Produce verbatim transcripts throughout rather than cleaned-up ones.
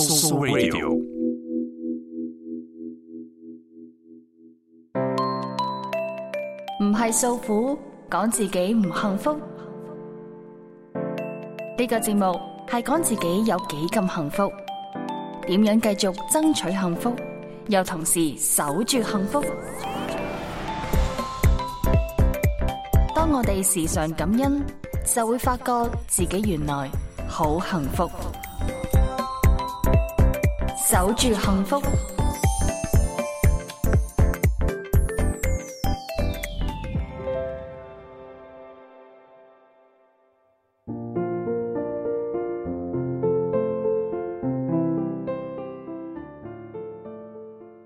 So Radio。唔係訴苦，講自己唔幸福。呢個節目係講自己有幾咁幸福，點樣繼續爭取幸福，又同時守住幸福。當我哋時常感恩，就會發覺自己原來好幸福。守住幸福。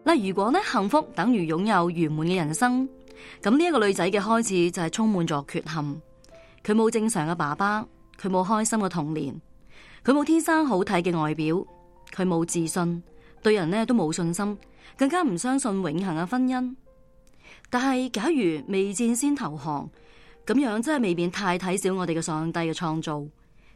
嗱，如果咧幸福等於擁有圓滿嘅人生，咁呢一個女仔嘅開始就係充滿咗缺陷。佢冇正常嘅爸爸，佢冇開心嘅童年，佢冇天生好睇嘅外表，佢冇自信，對人咧都冇信心，更加唔相信永恆嘅婚姻。但係假如未戰先投降，咁樣真係未免太睇小我哋嘅上帝嘅創造。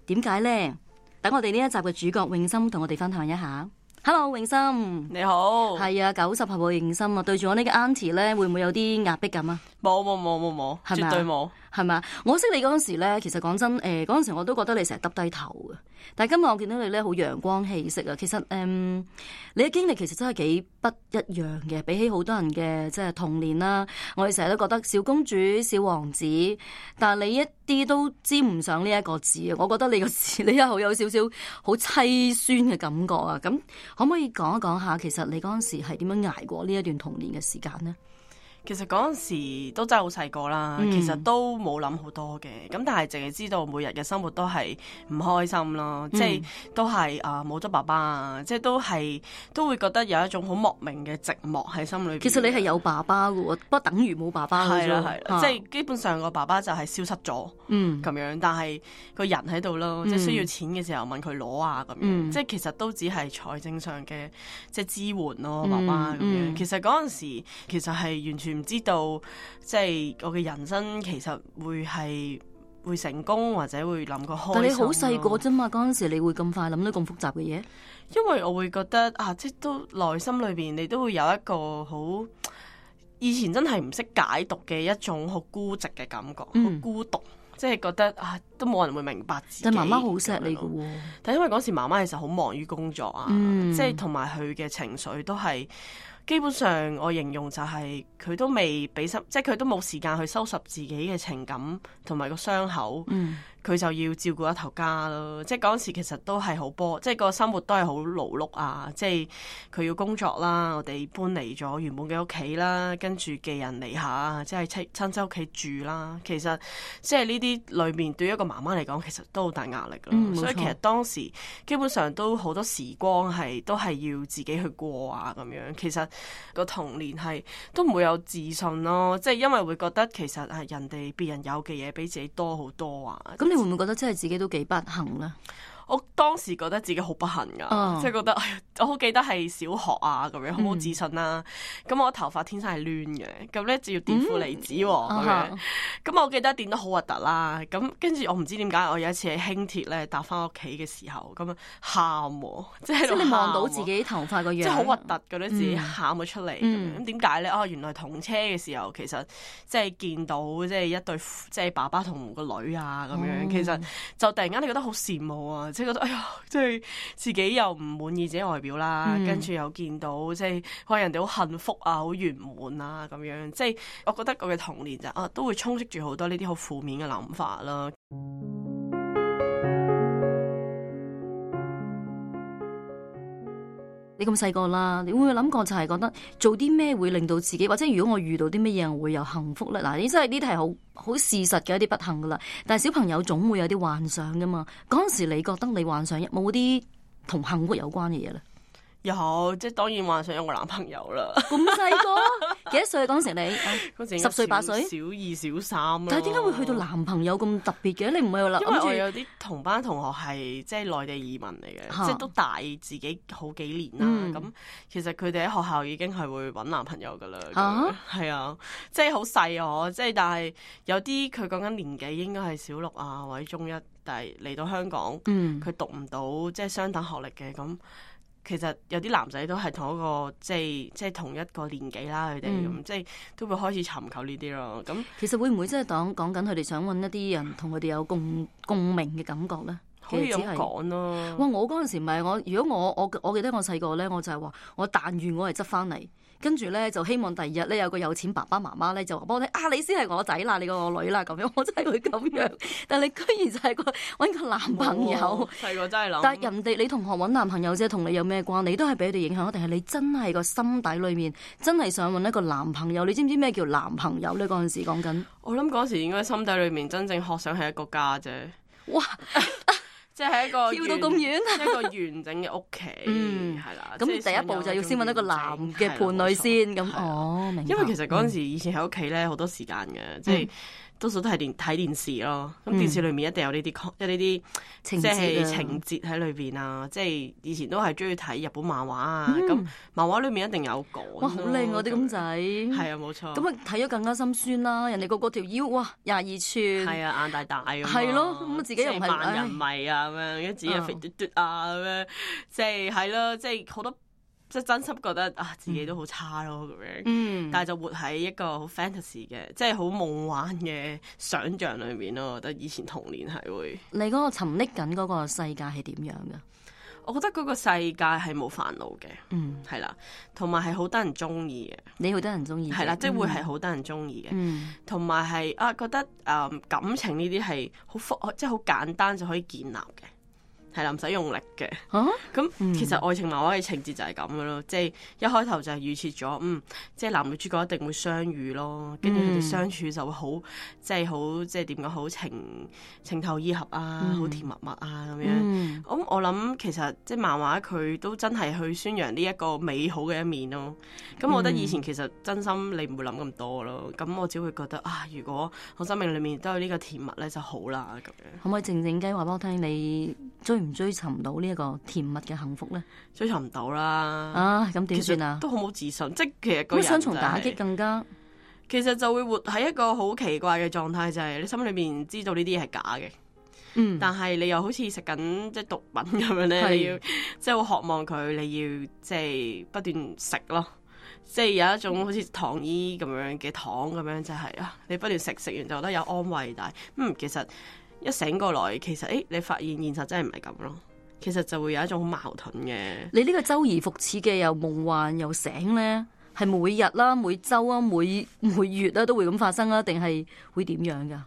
點解呢？等我哋呢一集嘅主角詠心同我哋分享一下。Hello， 詠心，你好。係啊，九十後嘅詠心啊，對住我呢個 auntie 咧，會唔會有啲壓迫感啊？冇冇冇冇冇，絕對冇。係咪？我識你嗰陣時咧，其實講真，誒嗰陣時我都覺得你成日耷低頭嘅。但係今日我見到你咧，好陽光氣息啊。其實誒、嗯，你嘅經歷其實真係幾不一樣嘅，比起好多人嘅即係童年啦。我哋成日都覺得小公主、小王子，但係你一啲都沾唔上呢一個字啊。我覺得你個字，你又有少少好凄酸嘅感覺啊。咁可唔可以講一講下，其實你嗰陣時係點樣捱過呢一段童年嘅時間呢？其實嗰陣時都真係好細個啦，嗯、其實都冇諗好多嘅，咁但係淨係知道每日嘅生活都係唔開心咯，嗯、即係都係啊冇咗爸爸啊，即係都係都會覺得有一種好莫名嘅寂寞喺心裏邊。其實你係有爸爸嘅喎，不過等於冇爸爸嘅啫。係啦係啦，即係基本上個爸爸就係消失咗，嗯咁樣，但係個人喺度咯，嗯、即係需要錢嘅時候問佢攞啊咁樣，嗯、即係其實都只係財政上嘅即係支援咯，爸爸咁樣。嗯嗯、其實嗰陣時其實係完全唔知道，即係我嘅人生其實會係會成功或者會諗個開心。但你好細個啫嘛，嗰陣時你會咁快諗到咁複雜嘅嘢？因為我會覺得啊，即係都內心裏邊你都會有一個好以前真係唔識解讀嘅一種好孤寂嘅感覺，好、嗯、孤獨，即係覺得啊都冇人會明白自己。但媽媽好錫你㗎喎，但因為嗰時媽媽其實好忙於工作啊，嗯、即係同埋佢嘅情緒都係。基本上我形容就係佢都未俾心，即係佢都冇時間去收拾自己嘅情感同埋個傷口，佢、嗯、就要照顧一頭家咯。即係嗰陣時其實都係好波，即係個生活都係好勞碌啊！即係佢要工作啦，我哋搬離咗原本嘅屋企啦，跟住寄人籬下，即係親親戚屋企住啦。其實即係呢啲裏面對於一個媽媽嚟講，其實都好大壓力咯。嗯、所以其實當時基本上都好多時光係都係要自己去過啊咁樣。其實個童年係都唔會有自信咯，即係因為會覺得其實係人哋別人有嘅嘢比自己多好多啊。咁你會唔會覺得真係自己都幾不幸咧？我當時覺得自己好不幸噶，哦、即係覺得，哎呀，我好記得係小學啊咁樣，好冇自信啦、啊。咁、嗯、我頭髮天生係攣嘅，咁咧就要墊負離子喎咁樣。咁我記得墊得好核突啦。咁跟住我唔知點解，我有一次喺輕鐵咧搭翻屋企嘅時候，咁樣喊喎，即係你望到自己頭髮個樣，即係好核突，覺得自己喊咗出嚟。咁點解咧？哦，原來同車嘅時候，其實即係見到即係一對即係爸爸同個女啊咁樣，哦、其實就突然間你覺得好羨慕啊！即係覺得哎呀，即係自己又唔滿意自己外表啦，嗯、跟住又見到即係可能人哋好幸福啊、好圓滿啊咁樣，即係我覺得我嘅童年就啊都會充斥住好多呢啲好負面嘅諗法啦。你咁細個啦，你會唔會諗過就係覺得做啲咩會令到自己，或者如果我遇到啲乜嘢我會有幸福咧？嗱，呢真係呢啲係好好事實嘅一啲不幸噶啦。但係小朋友總會有啲幻想噶嘛。嗰陣時你覺得你幻想冇啲同幸福有關嘅嘢咧？有，即係當然幻想有個男朋友啦。咁細個幾多歲嗰陣時你？嗰時十歲八歲？小二小三。但係點解會去到男朋友咁特別嘅？你唔係話諗住？因為我有啲同班同學係即係內地移民嚟嘅，啊、即係都大自己好幾年啦。咁、嗯、其實佢哋喺學校已經係會揾男朋友噶啦。係啊，啊，即係好細啊！即係但係有啲佢講緊年紀應該係小六啊或者中一，但係嚟到香港，佢、嗯、讀唔到即係相等學歷嘅咁。其實有啲男仔都係同一個即係即係同一個年紀啦，佢哋咁即係都會開始尋求呢啲咯。咁其實會唔會真係講講緊佢哋想揾一啲人同佢哋有共共鳴嘅感覺咧？可以咁講咯。哇！我嗰陣時唔係我，如果我我我記得我細個咧，我就係話我但願我係執翻嚟，跟住咧就希望第二日咧有個有錢爸爸媽媽咧就話幫我聽啊，你先係我仔啦，你個我女啦咁樣，我真係會咁樣。但係你居然就係個揾個男朋友，細個真係諗。但係人哋你同學揾男朋友啫，同你有咩關？你都係俾佢哋影響，定係你真係個心底裏面真係想揾一個男朋友？你知唔知咩叫男朋友咧？嗰陣時講緊，我諗嗰時應該心底裏面真正學想係一個家啫。哇！即係一個跳到咁遠，一個完整嘅屋企，係啦。咁第一步就要先揾一個男嘅伴侶先。咁哦，明白。因為其實嗰陣時以前喺屋企咧好多時間嘅，即係多數都係電睇電視咯。咁電視裏面一定有呢啲即係呢啲情即係節情節喺裏邊啊。即係以前都係中意睇日本漫畫啊。咁漫畫裏面一定有講。哇，好靚啊啲公仔。係啊，冇錯。咁啊睇咗更加心酸啦！人哋個個條腰哇廿二寸，係啊，眼大大咁。係咯，咁自己又唔係萬人迷啊咁樣，跟住自己又肥嘟嘟啊咁樣，即係係咯，即係好多即係真心覺得啊自己都好差咯咁樣。嗯，但係就活喺一個好 fantasy 嘅，即係好夢幻嘅想像裏面咯。我覺得以前童年係會。你嗰個沉溺緊嗰個世界係點樣㗎？我覺得嗰個世界係冇煩惱嘅，嗯，係啦，同埋係好得人中意嘅。你好得人中意，係啦，即係會係好得人中意嘅，同埋係啊覺得誒、呃、感情呢啲係好複，即係好簡單就可以建立嘅。係啦，唔使用力嘅。咁、啊、其實愛情漫畫嘅情節就係咁嘅咯，即係一開頭就係預設咗，嗯，即係男女主角一定會相遇咯，跟住佢哋相處就會好，即係好，即係點講好情情投意合啊，好、嗯、甜蜜蜜啊咁樣。咁、嗯、我諗其實即係漫畫佢都真係去宣揚呢一個美好嘅一面咯。咁我覺得以前其實真心你唔會諗咁多咯。咁我只會覺得啊，如果我生命裡面都有呢個甜蜜咧就好啦咁樣。可唔可以靜靜雞話俾我聽你追唔追尋到呢一個甜蜜嘅幸福咧？追尋唔到啦！啊，咁點算啊？都好冇自信，即係其實個人、就係、雙重打擊更加，其實就會活喺一個好奇怪嘅狀態，就係、係、你心裏面知道呢啲嘢係假嘅，嗯，但係你又好似食緊即係毒品咁樣咧，你要即係好渴望佢，你要即係不斷食咯，即係有一種好似糖衣咁樣嘅糖咁樣，就係、係、啊，你不斷食，食完就覺得有安慰，但係嗯，其實一醒過來，其實誒、欸，你發現現實真係唔係咁咯。其實就會有一種好矛盾嘅。你呢個周而復始嘅又夢幻又醒咧，係每日啦、每週啊、每每月啦都會咁發生啊？定係會點樣噶？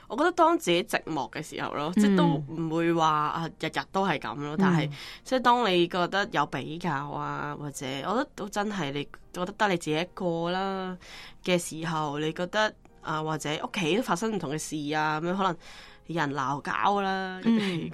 我覺得當自己寂寞嘅時候咯，嗯、即係都唔會話啊日日都係咁咯。但係、嗯、即係當你覺得有比較啊，或者我覺得都真係你覺得得你自己一個啦嘅時候，你覺得啊或者屋企都發生唔同嘅事啊咁樣可能。有人鬧交啦，咁樣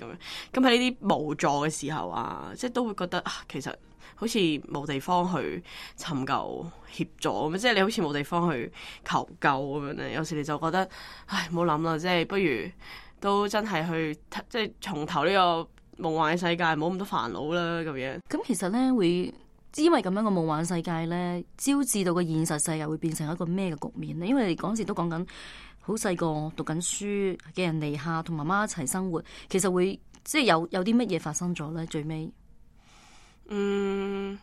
咁喺呢啲無助嘅時候啊，即係都會覺得啊，其實好似冇地方去尋求協助咁，即係你好似冇地方去求救咁樣咧。有時你就覺得，唉，唔好諗啦，即係不如都真係去即係從頭呢個夢幻嘅世界，冇咁多煩惱啦，咁樣。咁其實咧會因為咁樣嘅夢幻世界咧，招致到個現實世界會變成一個咩嘅局面咧？因為你嗰陣時都講緊。好細個讀緊書嘅人離下，同媽媽一齊生活，其實會即係有有啲乜嘢發生咗咧？最尾，嗯，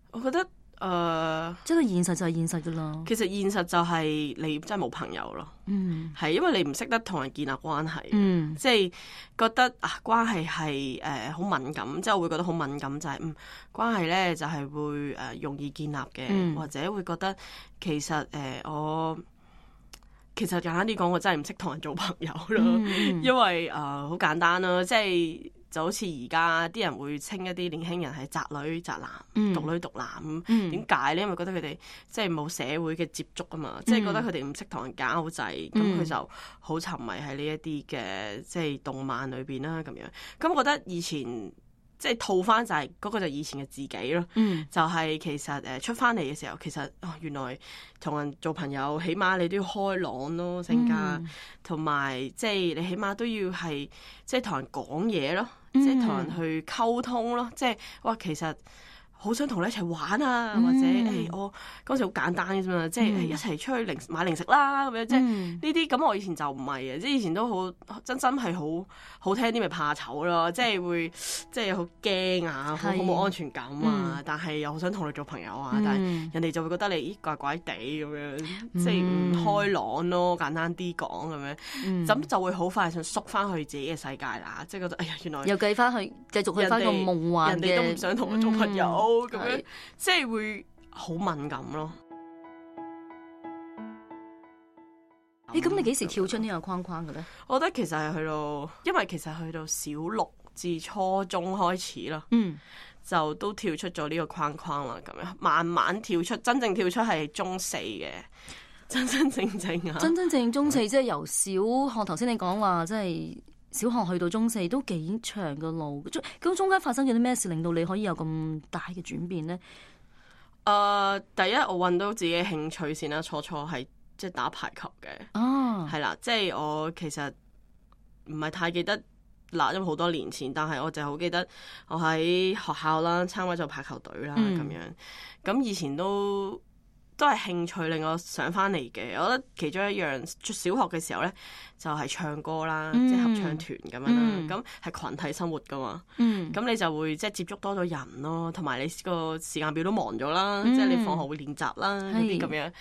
我覺得誒，呃、即係現實就係現實噶啦。其實現實就係你真係冇朋友咯。嗯，係因為你唔識得同人建立關係。嗯，即係覺得啊，關係係誒好敏感，即係我會覺得好敏感，就係、是、嗯，關係咧就係、是、會誒、呃、容易建立嘅，嗯、或者會覺得其實誒、呃、我。其實簡單啲講，我真係唔識同人做朋友咯，嗯、因為誒好、呃、簡單啦，即係就好似而家啲人會稱一啲年輕人係宅女宅男、嗯、獨女獨男咁，點解咧？因為覺得佢哋即係冇社會嘅接觸啊嘛，即係、嗯、覺得佢哋唔識同人交際，咁佢、嗯、就好沉迷喺呢一啲嘅即係動漫裏邊啦咁樣。咁我覺得以前。即係套翻就係、是、嗰、那個就以前嘅自己咯，嗯、就係其實誒出翻嚟嘅時候，其實哦原來同人做朋友，起碼你都要開朗咯性格，同埋、嗯、即係你起碼都要係即係同人講嘢咯，嗯、即係同人去溝通咯，即係哇其實好想同你一齊玩啊，或者誒、欸、我嗰時好簡單嘅啫嘛，即係一齊出去零買零食啦咁樣，即係呢啲咁我以前就唔係嘅，即係以前都好真心係好好聽啲咪怕醜咯，即係會即係好驚啊，好冇安全感啊，嗯、但係又好想同你做朋友啊，嗯、但係人哋就會覺得你咦怪怪地咁樣，即係唔開朗咯，簡單啲講咁樣，咁、嗯、就會好快想縮翻去自己嘅世界啦，即係覺得哎呀原來又計翻去繼續去翻個夢幻嘅，人哋都唔想同我做朋友。嗯咁樣是即係會好敏感咯。誒、欸，咁你幾時跳出呢個框框嘅咧？我覺得其實係去到，因為其實去到小六至初中開始啦，嗯，就都跳出咗呢個框框啦。咁樣慢慢跳出，真正跳出係中四嘅，真真正正啊！真真正正中四，即係由小學頭先你講話，即係。小學去到中四都幾長嘅路，咁中間發生咗啲咩事令到你可以有咁大嘅轉變呢？誒、呃，第一我揾到自己嘅興趣先啦，初初係即係打排球嘅，哦，係啦，即係我其實唔係太記得嗱，因為好多年前，但係我就好記得我喺學校啦參加咗排球隊啦，咁、嗯、樣，咁以前都。都係興趣令我上翻嚟嘅，我覺得其中一樣，小學嘅時候咧就係、是、唱歌啦，嗯、即係合唱團咁樣啦，咁係、嗯、群體生活噶嘛，咁、嗯、你就會即係接觸多咗人咯，同埋你個時間表都忙咗啦，嗯、即係你放學會練習啦嗰啲咁樣，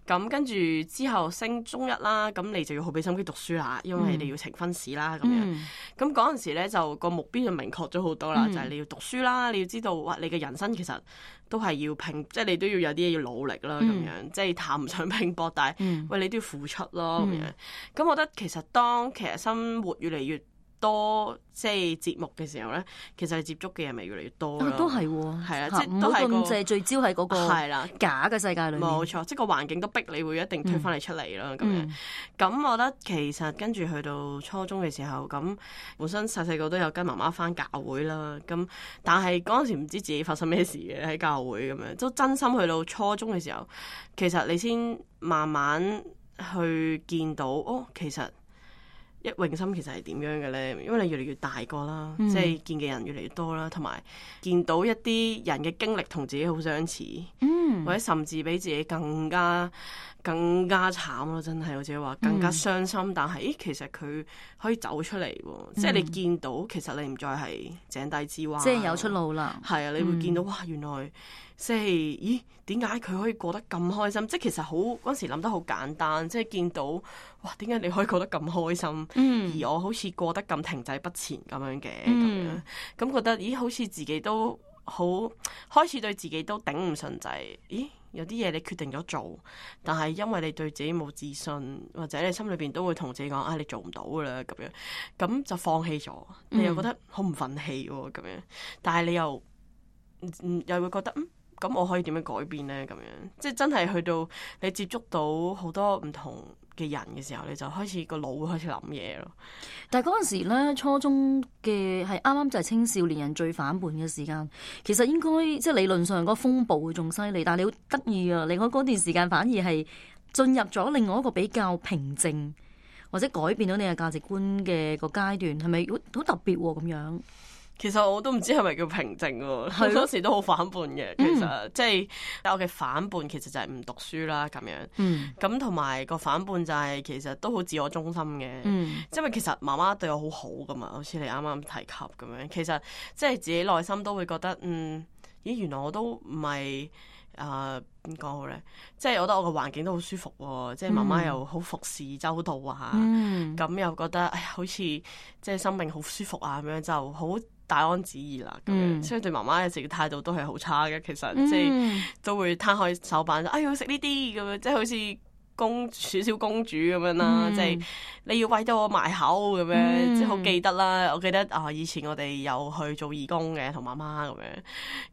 咁跟住之後升中一啦，咁你就要好俾心機讀書啦，因為你要呈分試啦咁樣，咁嗰陣時咧就個目標就明確咗好多啦，嗯、就係你要讀書啦，你要知道哇，你嘅人生其實都係要拼，即係你都要有啲嘢要努力啦。咁樣、嗯、即係談唔上拼搏，但係、嗯、喂你都要付出咯咁、嗯、樣。咁我覺得其實當其實生活越嚟越多即係節目嘅時候咧，其實係接觸嘅人咪越嚟越多咯、啊。都係喎，係啊，即係都係咁淨係聚焦喺嗰個係啦假嘅世界裏面。冇錯，即係個環境都逼你會一定推翻你出嚟啦咁樣。咁、嗯、我覺得其實跟住去到初中嘅時候，咁本身細細個都有跟媽媽返教會啦。咁但係嗰陣時唔知自己發生咩事嘅喺教會咁樣，都真心去到初中嘅時候，其實你先慢慢去見到哦，其實。一泳心其實係點樣嘅咧？因為你越嚟越大個啦，嗯、即係見嘅人越嚟越多啦，同埋見到一啲人嘅經歷同自己好相似，嗯、或者甚至比自己更加更加慘咯！真係，或者話更加傷心。嗯、但係，咦，其實佢可以走出嚟喎，嗯、即係你見到其實你唔再係井底之蛙，即係有出路啦。係啊，你會見到、嗯、哇，原來即係咦，點解佢可以過得咁開心？即係其實好嗰時諗得好簡單，即係見到哇，點解你可以過得咁開心？嗯、而我好似過得咁停滯不前咁樣嘅，咁、嗯、樣咁覺得咦，好似自己都好開始對自己都頂唔順，就係咦。有啲嘢你決定咗做，但係因為你對自己冇自信，或者你心裏邊都會同自己講啊，你做唔到噶啦咁樣，咁就放棄咗。你又覺得好唔忿氣喎咁樣，但係你又嗯又會覺得嗯咁我可以點樣改變咧？咁樣即係真係去到你接觸到好多唔同嘅人嘅時候，你就開始個腦會開始諗嘢咯。但係嗰陣時咧，初中嘅係啱啱就係青少年人最反叛嘅時間。其實應該即係理論上嗰個風暴會仲犀利，但係你好得意啊！另外嗰段時間反而係進入咗另外一個比較平靜或者改變到你嘅價值觀嘅個階段，係咪好好特別咁樣？其實我都唔知係咪叫平靜喎，好多時都好反叛嘅。其實、嗯、即係我嘅反叛，其實就係唔讀書啦咁樣。咁同埋個反叛就係其實都好自我中心嘅。嗯、因為其實媽媽對我好好噶嘛，好似你啱啱提及咁樣。其實即係自己內心都會覺得，嗯，咦，原來我都唔係誒點講好咧？即係我覺得我個環境都好舒服喎，即係媽媽又好服侍周到啊，咁、嗯、又覺得哎呀，好似即係生命好舒服啊咁樣，就好大安旨意啦，咁樣，嗯、所以對媽媽有時嘅態度都係好差嘅。其實、嗯、即係都會攤開手板，哎呀食呢啲咁樣，即係好似公少少公主咁樣啦，嗯、即係你要餵到我埋口咁樣，嗯、即係好記得啦。我記得啊，以前我哋有去做義工嘅，同媽媽咁樣。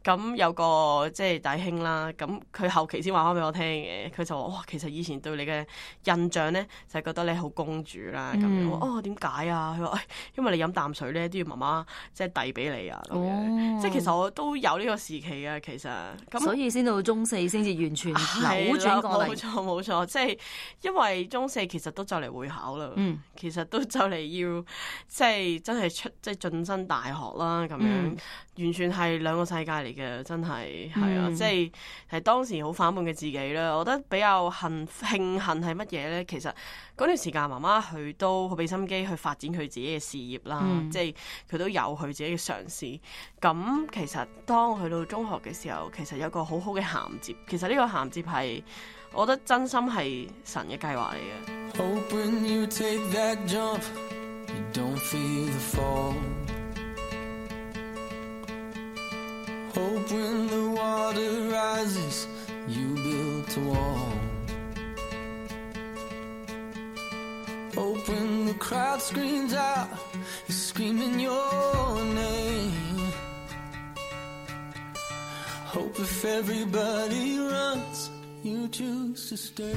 咁有個即係弟兄啦，咁佢後期先話翻俾我聽嘅，佢就話哇，其實以前對你嘅印象咧，就係覺得你好公主啦咁樣。嗯、哦，點解啊？佢話誒，因為你飲淡水咧都要媽媽即係遞俾你啊咁樣。哦、即係其實我都有呢個時期啊，其實。咁所以先到中四先至完全扭轉過嚟。冇錯冇錯，即係。係因為中四其實都就嚟會考啦，嗯、其實都就嚟要即係真係出即係進身大學啦，咁樣、嗯、完全係兩個世界嚟嘅，真係係、嗯、啊，即係係當時好反叛嘅自己啦。我覺得比較幸慶幸係乜嘢咧？其實嗰段時間媽媽佢都好俾心機去發展佢自己嘅事業啦，嗯、即係佢都有佢自己嘅嘗試。咁其實當去到中學嘅時候，其實有個好好嘅銜接。其實呢個銜接係，我覺得真心係神嘅計劃嚟嘅。Hope when you take that jump, you don't feel the fall. Hope when the water rises, you build a wall. Hope when the crowd screams out, you're screaming your name. Hope if everybody runs, you choose to stay.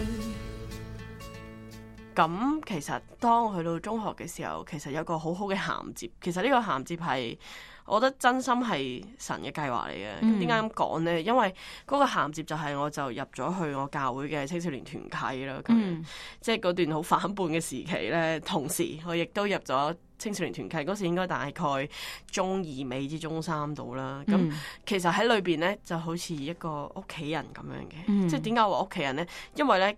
咁其實當去到中學嘅時候，其實有個好好嘅銜接。其實呢個銜接係，我覺得真心係神嘅計劃嚟嘅。咁點解咁講呢？因為嗰個銜接就係我就入咗去我教會嘅青少年團契啦。咁、嗯、即係嗰段好反叛嘅時期咧，同時我亦都入咗青少年團契。嗰時應該大概中二尾至中三度啦。咁、嗯、其實喺裏邊咧就好似一個屋企人咁樣嘅。嗯、即係點解話屋企人咧？因為咧。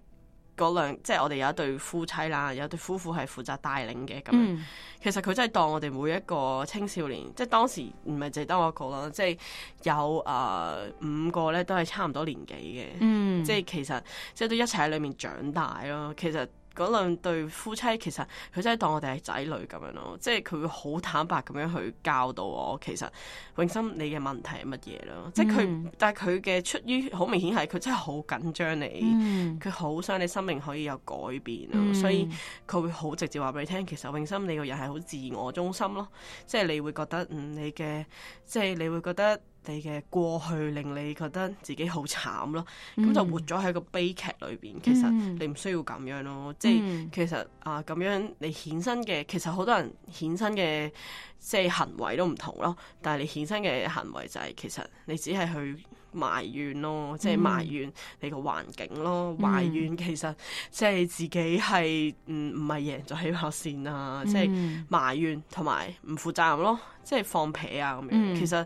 嗰兩即係我哋有一對夫妻啦，有一對夫婦係負責帶領嘅咁樣。嗯、其實佢真係當我哋每一個青少年，即係當時唔係淨係得我一個啦，即係有誒、呃、五個咧都係差唔多年紀嘅，嗯、即係其實即係都一齊喺裏面長大咯。其實嗰兩對夫妻其實佢真係當我哋係仔女咁樣咯，即係佢會好坦白咁樣去教導我，其實永心你嘅問題係乜嘢咯？嗯、即係佢，但係佢嘅出於好明顯係佢真係好緊張你，佢好、嗯、想你生命可以有改變咯，嗯、所以佢會好直接話俾你聽，其實永心你個人係好自我中心咯，即係你會覺得嗯你嘅，即係你會覺得。你嘅過去令你覺得自己好慘咯，咁、嗯、就活咗喺個悲劇裏邊。其實你唔需要咁樣咯，嗯、即係其實啊咁樣你衍生嘅，其實好多人衍生嘅即係行為都唔同咯。但係你衍生嘅行為就係、是、其實你只係去埋怨咯，即係埋怨你個環境咯，嗯、埋怨其實即係自己係唔唔係贏咗起跑線啊，即係、嗯、埋怨同埋唔負責任咯，即係放屁啊咁樣。嗯、其實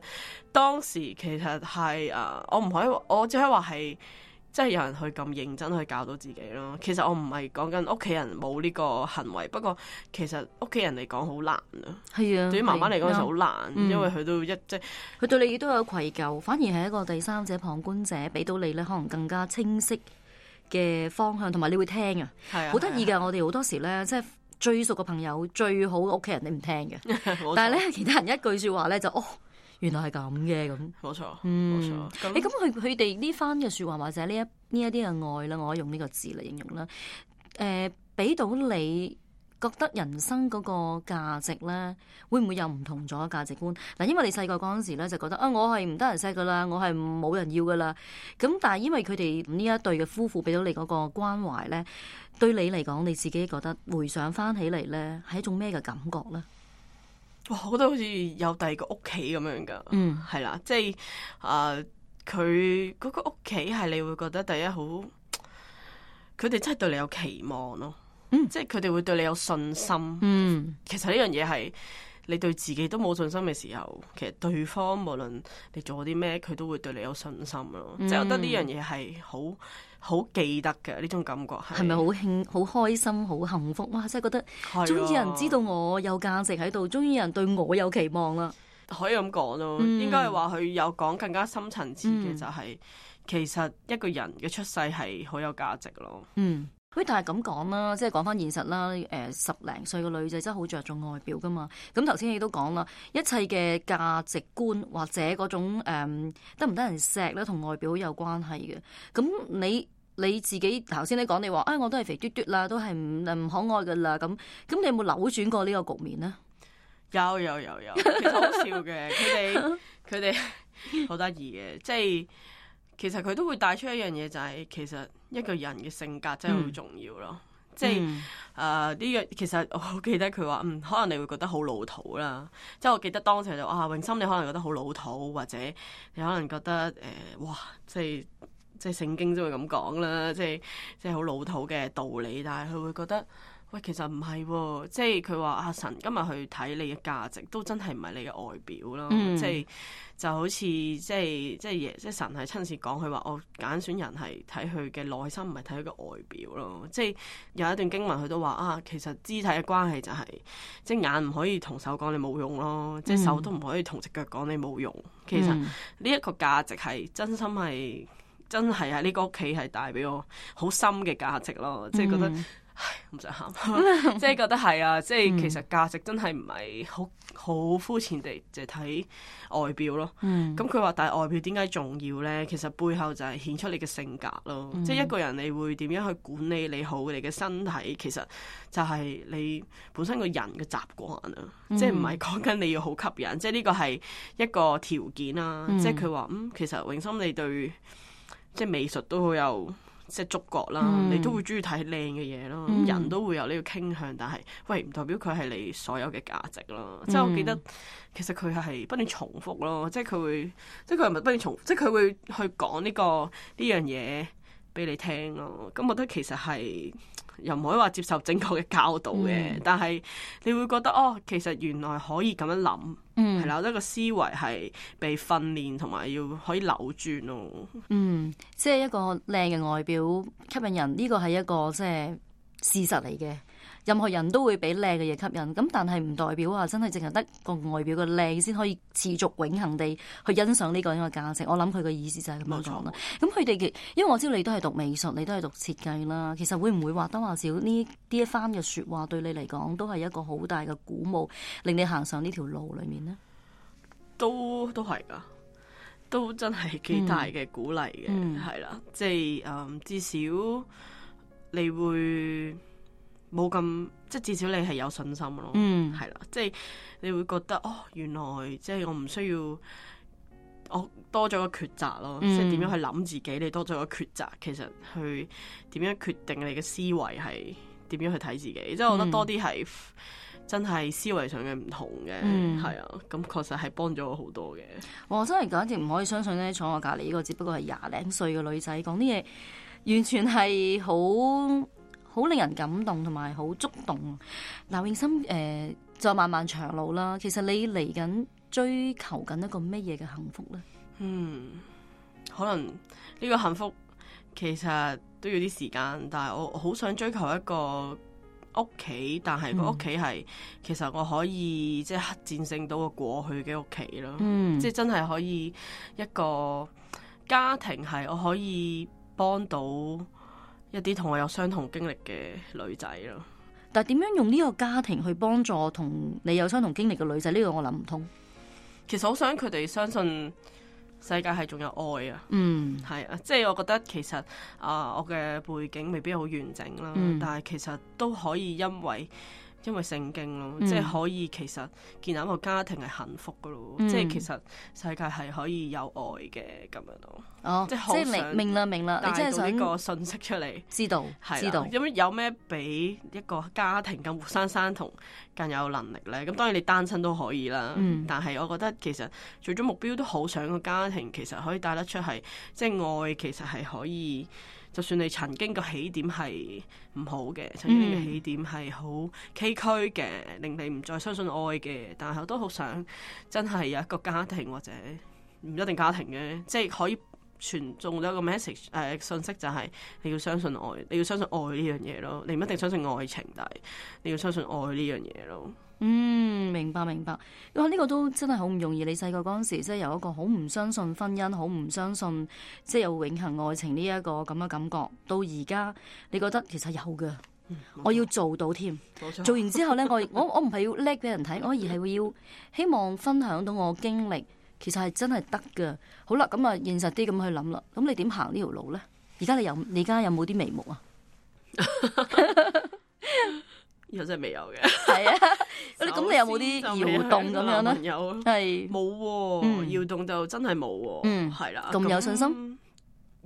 當時其實係誒，我唔可以，我只可以話係，即係有人去咁認真去教導自己咯。其實我唔係講緊屋企人冇呢個行為，不過其實屋企人嚟講好難啊。係啊，對於媽媽嚟講就好難，嗯、因為佢都一即係佢對你都有愧疚，反而係一個第三者旁觀者，俾到你咧可能更加清晰嘅方向，同埋你會聽啊。係啊，好得意㗎！我哋好多時咧，即係最熟嘅朋友、最好嘅屋企人，你唔聽嘅，錯但係咧其他人一句説話咧就哦。原來係咁嘅咁，冇錯，冇錯。誒咁佢佢哋呢番嘅説話或者呢一呢一啲嘅愛啦，我可以用呢個字嚟形容啦。誒、呃，俾到你覺得人生嗰個價值咧，會唔會有唔同咗價值觀？嗱，因為你細個嗰陣時咧就覺得啊，我係唔得人錫噶啦，我係冇人要噶啦。咁但係因為佢哋呢一對嘅夫婦俾到你嗰個關懷咧，對你嚟講，你自己覺得回想翻起嚟咧，係一種咩嘅感覺咧？哇！我覺得好似有第二個屋企咁樣噶，嗯，係啦，即係誒，佢、呃、嗰個屋企係你會覺得第一好，佢哋真係對你有期望咯，嗯，即係佢哋會對你有信心，嗯，其實呢樣嘢係你對自己都冇信心嘅時候，其實對方無論你做啲咩，佢都會對你有信心咯，嗯、即係我覺得呢樣嘢係好。好記得嘅呢種感覺係，係咪好興、好開心、好幸福？哇！真係覺得終於有人知道我有價值喺度，終於有人對我有期望啦。可以咁講咯，嗯、應該係話佢有講更加深層次嘅、就係，就係、嗯、其實一個人嘅出世係好有價值咯。嗯。喂，但係咁講啦，即係講翻現實啦。誒、呃，十零歲嘅女仔真係好着重外表噶嘛。咁頭先你都講啦，一切嘅價值觀或者嗰種誒得唔得人錫咧，同外表有關係嘅。咁你你自己頭先你講你話，哎，我都係肥嘟嘟啦，都係唔唔可愛噶啦。咁咁你有冇扭轉過呢個局面呢？有有有有，其實好笑嘅。佢哋佢哋好得意嘅，即係其實佢都會帶出一樣嘢，就係、是、其實。一個人嘅性格真係好重要咯，嗯、即係誒呢樣其實我好記得佢話，嗯，可能你會覺得好老土啦，即係我記得當時就啊，永心你可能覺得好老土，或者你可能覺得誒、呃，哇，即係即係聖經都會咁講啦，即係即係好老土嘅道理，但係佢會覺得。喂，其實唔係喎，即係佢話阿神今日去睇你嘅價值，都真係唔係你嘅外表咯、嗯，即係就好似即係即係耶，即係神係親自講，佢話我揀選人係睇佢嘅內心，唔係睇佢嘅外表咯。即係有一段經文佢都話啊，其實肢體嘅關係就係、是、即係眼唔可以同手講你冇用咯，嗯、即係手都唔可以同隻腳講你冇用。其實呢一個價值係真心係真係喺呢個屋企係帶俾我好深嘅價值咯，即係覺得。嗯唉，唔想喊，即係覺得係啊，即係其實價值真係唔係好好膚淺地就睇外表咯。咁佢話，但係外表點解重要咧？其實背後就係顯出你嘅性格咯。嗯、即係一個人你會點樣去管理你好你嘅身體，其實就係你本身個人嘅習慣啊。嗯、即係唔係講緊你要好吸引，即係呢個係一個條件啦。嗯、即係佢話嗯，其實永心你對即係美術都好有。即係觸覺啦，嗯、你都會中意睇靚嘅嘢咯。咁、嗯、人都會有呢個傾向，但係喂唔代表佢係你所有嘅價值咯。嗯、即係我記得其實佢係不斷重複咯，即係佢會，即係佢係咪不斷重複？即係佢會去講呢、呢個呢樣嘢俾你聽咯。咁我覺得其實係又唔可以話接受正確嘅教導嘅，嗯、但係你會覺得哦，其實原來可以咁樣諗。係啦，我覺得個思維係被訓練同埋要可以扭轉咯。嗯，即係一個靚嘅外表吸引人，呢個係一個即係事實嚟嘅。任何人都會俾靚嘅嘢吸引，咁但係唔代表話真係淨係得個外表嘅靚先可以持續永恆地去欣賞呢個呢個價值。我諗佢嘅意思就係咁樣講啦。咁佢哋嘅，因為我知道你都係讀美術，你都係讀設計啦。其實會唔會話多話少呢？呢一番嘅説話對你嚟講都係一個好大嘅鼓舞，令你行上呢條路裡面呢？都都係㗎，都真係幾大嘅鼓勵嘅，係啦、嗯，即係誒、嗯，至少你會。冇咁，即係至少你係有信心咯，係啦、嗯，即係你會覺得哦，原來即係我唔需要，我多咗個抉擇咯，嗯、即係點樣去諗自己，你多咗個抉擇，其實去點樣決定你嘅思維係點樣去睇自己，即係我覺得多啲係真係思維上嘅唔同嘅，係啊、嗯，咁確實係幫咗我好多嘅。我真係簡直唔可以相信咧，坐我隔離呢個只不過係廿零歲嘅女仔講啲嘢，完全係好。好令人感動同埋好觸動。嗱，永心誒，就漫漫長路啦。其實你嚟緊追求緊一個乜嘢嘅幸福咧？嗯，可能呢個幸福其實都要啲時間，但係我好想追求一個屋企，但係個屋企係其實我可以即係戰勝到個過去嘅屋企咯。嗯，即係真係可以一個家庭係我可以幫到。一啲同我有相同經歷嘅女仔咯，但係點樣用呢個家庭去幫助同你有相同經歷嘅女仔？呢、這個我諗唔通。其實好想佢哋相信世界係仲有愛啊。嗯，係啊，即係我覺得其實啊、呃，我嘅背景未必好完整啦，嗯、但係其實都可以因為。因為聖經咯，嗯、即係可以其實建立一個家庭係幸福噶咯，嗯、即係其實世界係可以有愛嘅咁樣咯。哦，即係好想明啦明啦，你即係想呢個信息出嚟，知道係知道。咁有咩比一個家庭更活生生同更有能力咧？咁當然你單親都可以啦，嗯、但係我覺得其實最終目標都好想個家庭其實可以帶得出係，即係愛其實係可以。就算你曾經個起點係唔好嘅，曾經你嘅起點係好崎嶇嘅，令你唔再相信愛嘅，但係我都好想真係有一個家庭或者唔一定家庭嘅，即係可以傳送咗一個 message 誒、呃、信息，就係你要相信愛，你要相信愛呢樣嘢咯。你唔一定相信愛情，但係你要相信愛呢樣嘢咯。嗯，明白明白。哇，呢個都真係好唔容易。你細個嗰陣時，即係有一個好唔相信婚姻，好唔相信即係有永恆愛情呢一個咁嘅感覺。到而家你覺得其實有嘅，嗯、我要做到添。錯做完之後咧，我我我唔係要叻俾人睇，我而係會要希望分享到我經歷，其實係真係得嘅。好啦，咁啊現實啲咁去諗啦。咁你點行呢條路咧？而家你有你而家有冇啲眉目啊？又真係未有嘅，係啊！咁你有冇啲搖動咁樣咧？有，係冇喎，搖動就真係冇喎。嗯，係啦。咁有信心？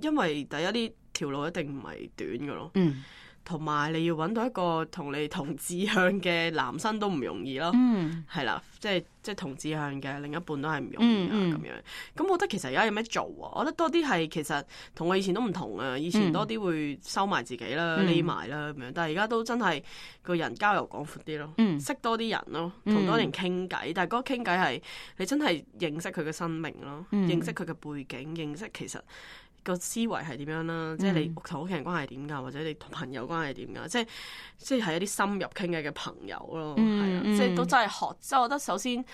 因為第一呢條路一定唔係短嘅咯。嗯。同埋你要揾到一個同你同志向嘅男生都唔容易咯，係啦、嗯，即係即係同志向嘅另一半都係唔容易啊咁、嗯嗯、樣。咁我覺得其實而家有咩做啊？我覺得多啲係其實同我以前都唔同啊，以前多啲會收埋自己啦、匿埋啦咁樣，但係而家都真係個人交友廣闊啲咯，嗯、識多啲人咯，同多啲人傾偈。但係嗰個傾偈係你真係認識佢嘅生命咯，嗯、認識佢嘅背景，認識其實個思維係點樣啦，即係你同屋企人關係點㗎，或者你同朋友關係點㗎，即係即係一啲深入傾偈嘅朋友咯，係、嗯、啊，即係都真係學。即係我覺得首先。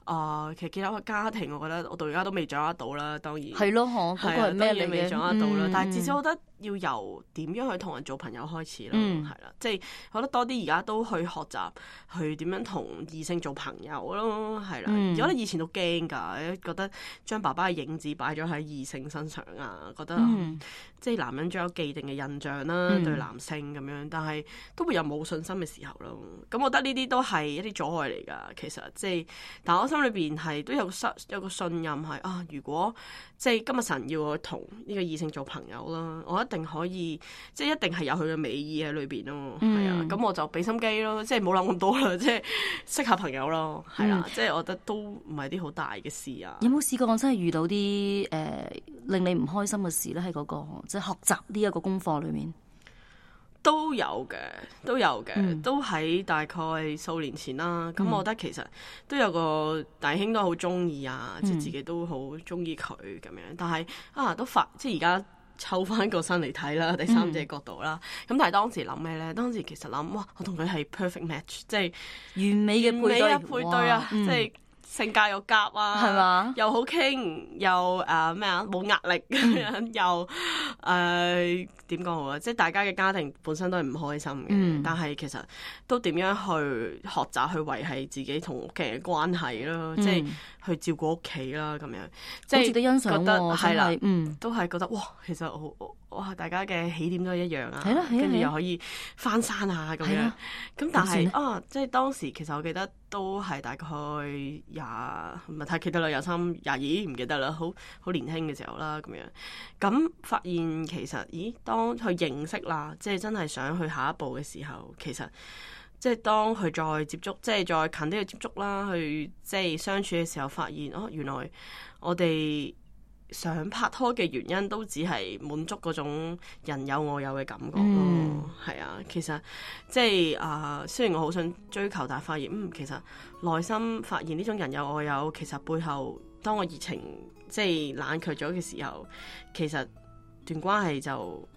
啊、呃，其實建立個家庭，我覺得我到而家都未掌握到啦。當然係咯，嗬，嗰個係咩嚟嘅？未掌握到啦。嗯、但係至少我覺得要由點樣去同人做朋友開始咯，係啦、嗯。即係我覺得多啲而家都去學習去點樣同異性做朋友咯，係啦。嗯、我覺得以前都驚㗎，覺得將爸爸嘅影子擺咗喺異性身上啊，覺得、嗯、即係男人仲有既定嘅印象啦，嗯、對男性咁樣，但係都會有冇信心嘅時候咯。咁我覺得呢啲都係一啲阻礙嚟㗎。其實即係，但我心裏邊係都有信有個信任係啊，如果即係今日神要我同呢個異性做朋友啦，我一定可以，即係一定係有佢嘅美意喺裏邊咯，係、嗯、啊，咁我就俾心機咯，即係冇諗咁多啦，即係識下朋友咯，係啊，嗯、即係我覺得都唔係啲好大嘅事啊。有冇試過我真係遇到啲誒、呃、令你唔開心嘅事咧？喺嗰、那個即係學習呢一個功課裏面。都有嘅，都有嘅，嗯、都喺大概數年前啦。咁、嗯、我覺得其實都有個弟兄都好中意啊，嗯、即係自己都好中意佢咁樣。但係啊，都發即係而家抽翻個身嚟睇啦，第三者角度啦。咁、嗯、但係當時諗咩咧？當時其實諗哇，我同佢係 perfect match， 即係完美嘅配對，配對啊，即係。性格又夾啊，係嘛？又好傾，又誒咩啊？冇壓力咁樣，又誒點講好啊？即係大家嘅家庭本身都係唔開心嘅，嗯、但係其實都點樣去學習去維繫自己同屋企人嘅關係咯，嗯、即係去照顧屋企啦咁樣。即係覺得係啦，嗯，都係覺得哇，其實好哇，大家嘅起點都係一樣啊，跟住又可以翻山啊咁樣。咁但係啊，即係當時其實我記得都係大概廿唔係太記得啦，廿三廿二唔記得啦，好好年輕嘅時候啦咁樣。咁發現其實，咦，當去認識啦，即係真係想去下一步嘅時候，其實即係當佢再接觸，即係再近啲去接觸啦，去即係相處嘅時候，發現哦，原來我哋想拍拖嘅原因都只係滿足嗰種人有我有嘅感覺咯，係、嗯、啊，其實即係啊、呃，雖然我好想追求，但係發現嗯，其實內心發現呢種人有我有，其實背後當我熱情即係冷卻咗嘅時候，其實段關係就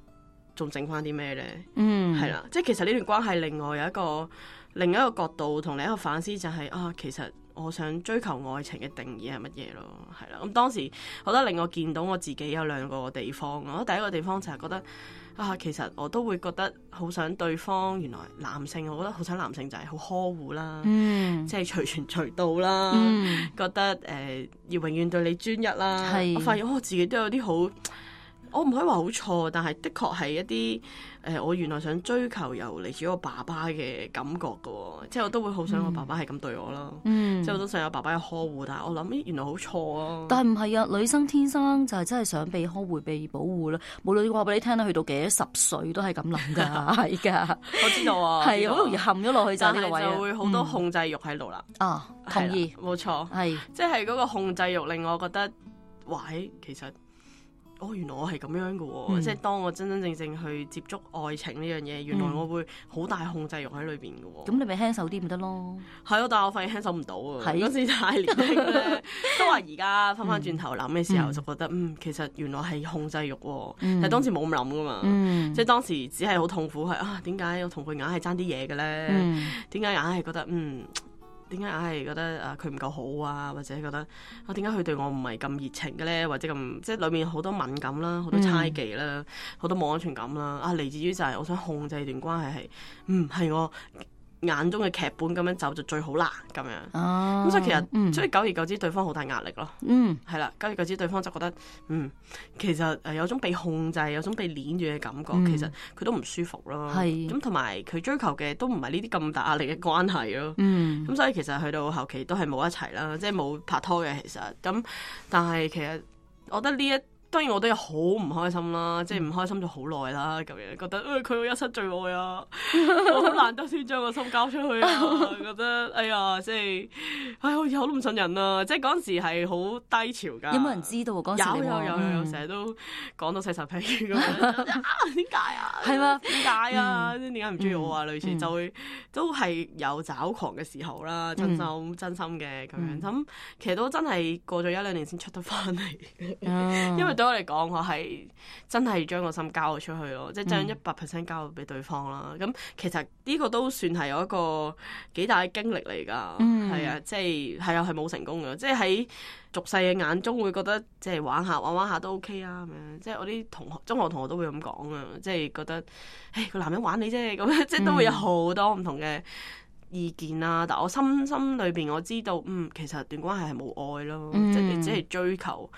仲剩翻啲咩咧？嗯，係啦，即係其實呢段關係另外有一個另一個角度同另一個反思就係、是、啊，其實。我想追求愛情嘅定義係乜嘢咯？係啦，咁當時我覺得令我見到我自己有兩個地方。我覺得第一個地方就係覺得啊，其實我都會覺得好想對方原來男性，我覺得好想男性就係好呵護啦，嗯、即係隨傳隨到啦，嗯、覺得誒、呃、要永遠對你專一啦。是我發現我、哦、自己都有啲好，我唔可以話好錯，但係的確係一啲。誒、呃，我原來想追求由嚟自我爸爸嘅感覺嘅、哦，即係我都會好想我爸爸係咁對我咯，嗯、即係我都想有爸爸嘅呵護，但係我諗，咦，原來好錯啊！但係唔係啊，女生天生就係真係想被呵護、被保護啦。無論話俾你聽啦，去到幾多十歲都係咁諗㗎，係㗎。我知道啊，係好容易陷咗落去就呢個位，就會好多控制欲喺度啦。嗯、啊，同意，冇錯，係是即係嗰個控制欲令我覺得，喂，其實。哦，原來我係咁樣嘅喎、哦，嗯、即係當我真真正正去接觸愛情呢樣嘢，原來我會好大控制欲喺裏邊嘅喎。咁、嗯、你咪輕手啲咪得咯？係咯，但係我發現輕手唔到啊！嗰時太年輕咧，都話而家翻翻轉頭諗嘅時候，就覺得嗯，嗯，其實原來係控制欲喎、哦，嗯、但係當時冇咁諗噶嘛，嗯、即係當時只係好痛苦係啊，點解我同佢硬係爭啲嘢嘅咧？點解硬係覺得嗯？點解硬係覺得啊佢唔夠好啊，或者覺得啊點解佢對我唔係咁熱情嘅咧，或者咁即係裏面好多敏感啦，好多猜忌啦，好、嗯、多冇安全感啦，啊嚟自於就係我想控制段關係係，嗯係我眼中嘅劇本咁樣走就最好啦咁樣，咁、啊、所以其實、嗯、所以久而久之對方好大壓力咯，嗯係啦，久而久之對方就覺得嗯其實誒有種被控制，有種被捏住嘅感覺，嗯、其實佢都唔舒服咯，咁同埋佢追求嘅都唔係呢啲咁大壓力嘅關係咯，咁、嗯、所以其實去到後期都係冇一齊啦，即係冇拍拖嘅其實，咁但係其實我覺得呢一當然我都有好唔開心啦，即係唔開心咗好耐啦，咁樣覺得誒佢、哎、一生最愛啊，我好難得先將個心交出去啊，覺得哎呀，即係哎好似好都唔信人啊，即係嗰陣時係好低潮㗎。有冇人知道嗰陣時？有有有有，成日、嗯、都講到細十屁咁樣啊，點解啊？係嘛？點解啊？點解唔中意我啊？類似就會都係有找狂嘅時候啦，真心、嗯、真心嘅咁樣。咁、嗯、其實都真係過咗一兩年先出得翻嚟，嗯、因為對我嚟講，我係真係將個心交咗出去咯，即係將一百 percent 交咗俾對方啦。咁、嗯、其實呢個都算係有一個幾大嘅經歷嚟㗎，係、嗯、啊，即係係啊，係冇成功嘅，即係喺俗世嘅眼中會覺得即係玩下玩玩下都 OK 啊咁樣，即係我啲同學中學同學都會咁講啊，即係覺得誒個男人玩你啫咁樣，即係都會有好多唔同嘅意見啦。但我心心裏邊我知道，嗯，其實段關係係冇愛咯，嗯、即係你只係追求。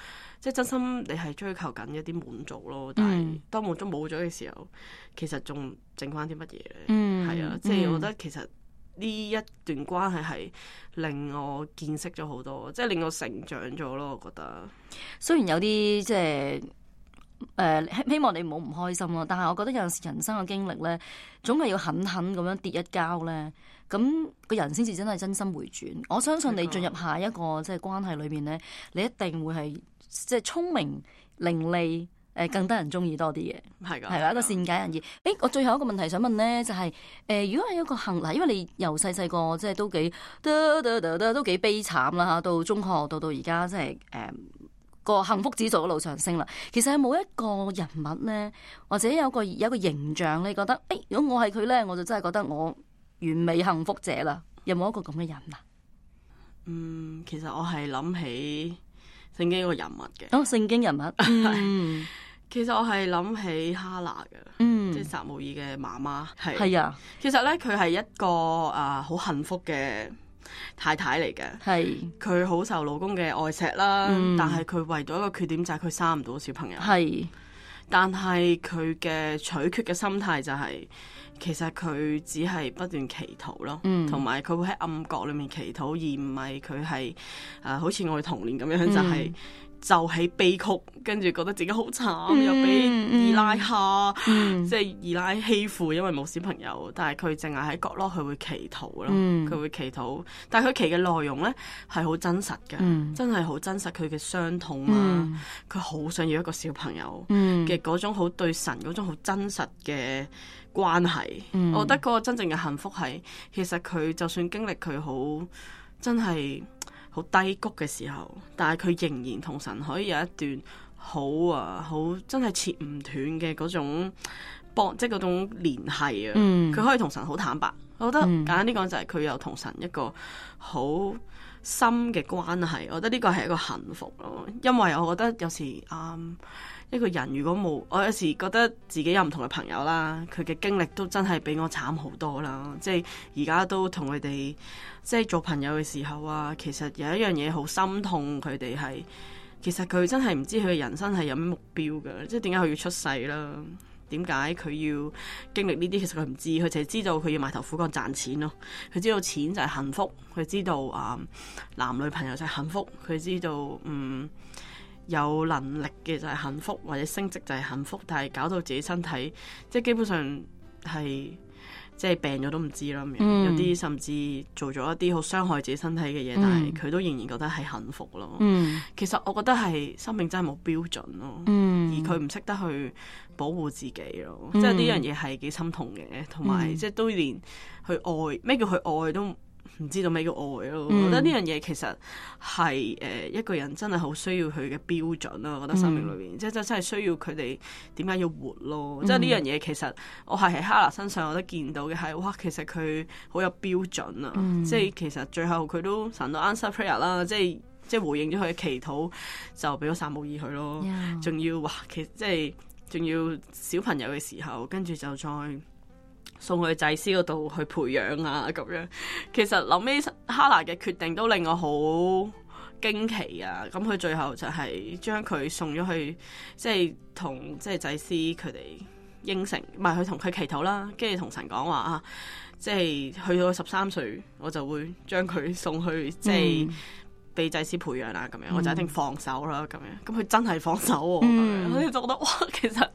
即係真心，你係追求緊一啲滿足咯。但係當滿足冇咗嘅時候，其實仲剩翻啲乜嘢咧？係、嗯、啊，即係我覺得其實呢一段關係係令我見識咗好多，即係令我成長咗咯。我覺得雖然有啲即係誒希望你唔好唔開心咯，但係我覺得有陣時人生嘅經歷咧，總係要狠狠咁樣跌一跤咧，咁個人先至真係真心回轉。我相信你進入下一個即係關係裏邊咧，你一定會係。即係聰明伶俐，誒更得人中意多啲嘅，係㗎，係啦，一個善解人意。誒，我最後一個問題想問咧，就係、是、誒、呃，如果係一個幸嗱，因為你由細細個即係都幾得得得得都幾悲慘啦嚇，到中學到到而家即係誒個幸福指數一路上升啦。其實係冇一個人物咧，或者有個有一個形象，你覺得誒、欸，如果我係佢咧，我就真係覺得我完美幸福者啦。有冇一個咁嘅人啊？嗯，其實我係諗起聖經個人物嘅，哦，聖經人物，嗯，其實我係諗起哈拿嘅，嗯，即係撒母耳嘅媽媽，係係啊，其實咧佢係一個啊好、呃、幸福嘅太太嚟嘅，係佢好受老公嘅愛錫啦，嗯、但係佢唯獨一個缺點就係佢生唔到小朋友，係，但係佢嘅取決嘅心態就係、是。其實佢只係不斷祈禱咯，同埋佢會喺暗角裏面祈禱，而唔係佢係誒好似我嘅童年咁樣，嗯、就係就喺悲曲，跟住覺得自己好慘，嗯、又俾二奶蝦，嗯、即係二奶欺負，因為冇小朋友。但係佢淨係喺角落，佢會祈禱咯，佢、嗯、會祈禱。但係佢祈嘅內容咧係好真實嘅，嗯、真係好真實。佢嘅傷痛啊，佢好、嗯、想要一個小朋友嘅嗰種好對神嗰種好真實嘅關係，嗯、我覺得嗰個真正嘅幸福係，其實佢就算經歷佢好真係好低谷嘅時候，但係佢仍然同神可以有一段好啊好真係切唔斷嘅嗰種幫，即係嗰種聯繫啊。佢、嗯、可以同神好坦白，我覺得簡單啲講就係佢有同神一個好深嘅關係。我覺得呢個係一個幸福咯，因為我覺得有時啊。嗯一個人如果冇，我有時覺得自己有唔同嘅朋友啦，佢嘅經歷都真係比我慘好多啦。即係而家都同佢哋即係做朋友嘅時候啊，其實有一樣嘢好心痛佢哋係，其實佢真係唔知佢嘅人生係有咩目標㗎，即係點解佢要出世啦？點解佢要經歷呢啲？其實佢唔知，佢淨係知道佢要埋頭苦幹賺錢咯。佢知道錢就係幸福，佢知道啊、嗯、男女朋友就係幸福，佢知道嗯。有能力嘅就係幸福，或者升職就係幸福，但係搞到自己身體，即係基本上係即係病咗都唔知啦。嗯、有啲甚至做咗一啲好傷害自己身體嘅嘢，嗯、但係佢都仍然覺得係幸福咯。嗯、其實我覺得係生命真係冇標準咯，嗯、而佢唔識得去保護自己咯，嗯、即係呢樣嘢係幾心痛嘅，同埋、嗯、即係都連去愛咩叫去愛都唔知道咩叫愛咯，嗯、我覺得呢樣嘢其實係誒、呃、一個人真係好需要佢嘅標準咯。我覺得生命裏邊、嗯、即係真係需要佢哋點解要活咯。嗯、即係呢樣嘢其實我係喺哈拿身上我都見到嘅係，哇！其實佢好有標準啊。嗯、即係其實最後佢都神都 answer prayer 啦，即係即係回應咗佢嘅祈禱，就俾咗撒母耳佢咯。仲 Yeah. 要哇，其實即係仲要小朋友嘅時候，跟住就再送去祭司嗰度去培養啊，咁樣。其實諗起哈拿嘅決定都令我好驚奇啊！咁佢最後就係將佢送咗去，即係同即係祭司佢哋應承，唔係佢同佢祈禱啦，跟住同神講話啊，即係去到十三歲，我就會將佢送去即係被祭司培養啦，咁樣、嗯、我就一定放手啦，咁樣，咁佢真係放手喎，嗯、咁樣，我就覺得哇，其實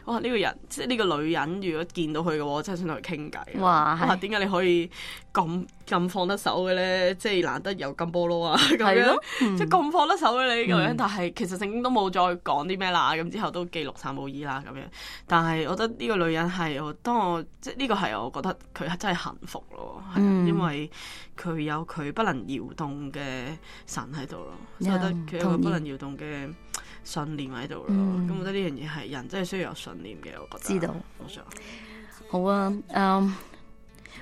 哇呢、呢個人，即係呢個女人，如果見到佢嘅話，我真係想同佢傾偈。哇，哇，點解你可以咁咁放得手嘅咧？即係難得有金菠蘿啊，咁樣，嗯、即係咁放得手嘅你咁樣，嗯、但係其實聖經都冇再講啲咩啦，咁之後都記錄撒母耳啦，咁樣。但係我覺得呢個女人係我，當我即係呢個係我覺得佢真係幸福咯，係、嗯、因為佢有佢不能搖動嘅神喺度咯，我覺得佢有個不能搖動嘅信念喺度咯。咁、嗯、我覺得呢樣嘢係人真係需要有信念嘅，我覺得。知道，我想好啊。嗯，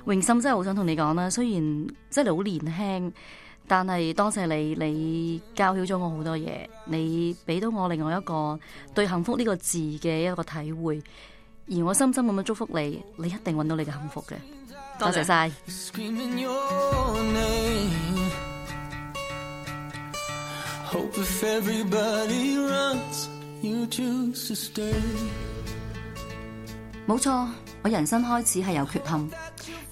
榮心真係好想同你講啦，雖然即係你好年輕，但係多謝你，你教曉咗我好多嘢，你俾到我另外一個對幸福呢個字嘅一個體會，而我深深咁樣祝福你，你一定揾到你嘅幸福嘅。多謝晒。冇錯，我人生開始係有缺陷，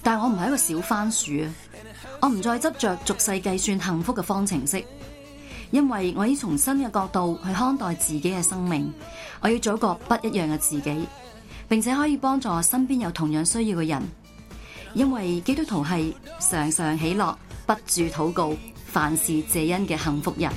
但我唔係一個小番薯啊！我唔再執着俗世計算幸福嘅方程式，因為我要從新嘅角度去看待自己嘅生命，我要做一個不一樣嘅自己，並且可以幫助身邊有同樣需要嘅人。因為基督徒係常常喜樂，不住禱告，凡事謝恩嘅幸福人。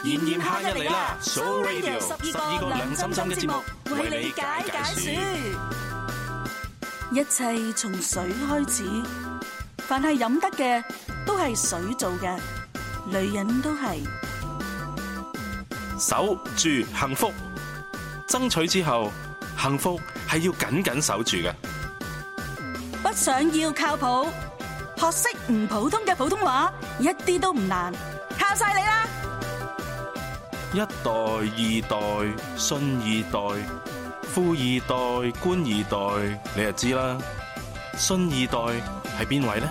炎炎夏日嚟啦 ，So Radio 十二個兩心心嘅節目，為你解解暑。一切從水開始，凡係飲得嘅都係水做嘅，女人都係。守住幸福，爭取之後，幸福係要緊緊守住嘅。不想要靠譜，學識唔普通嘅普通話，一啲都唔難，靠晒你啦！一代、二代、信二代、富二代、官二代，你就知啦。信二代係邊位呢？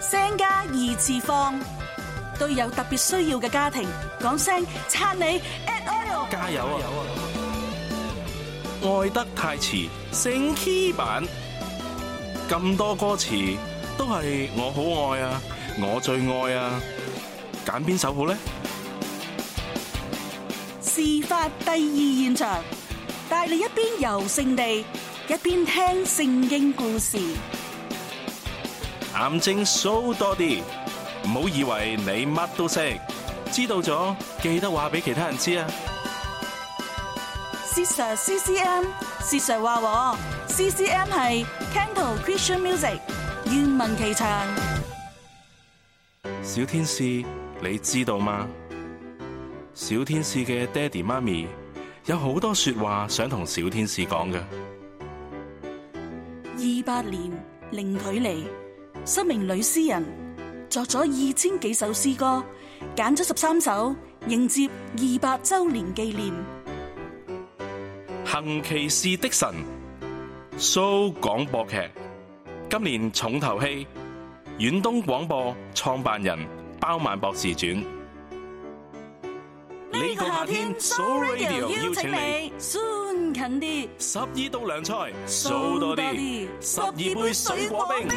聲家二次方，對有特別需要嘅家庭講聲撐你 ，at oil 加油啊！愛得太遲，升 key 版，咁多歌詞都係我好愛啊，我最愛啊，揀邊首好呢？事發第二現場，帶你一邊遊聖地，一邊聽聖經故事。癌症數多啲，唔好以為你乜都識，知道咗記得話俾其他人知啊。Sister C C M，Sister 話我 C C M 係 Canto Christian Music， 願聞其詳。小天使，你知道嗎？小天使嘅爹哋媽咪有好多說話想同小天使講嘅。二百年零距離，十名女詩人作咗二千幾首詩歌，揀咗十三首迎接二百周年紀念。行奇事的神 show 廣播劇，今年重頭戲，遠東廣播創辦人包萬博士傳。呢個夏天 ，So Radio 邀請你，酸近啲，十二道涼菜，數多啲，十二杯水果冰。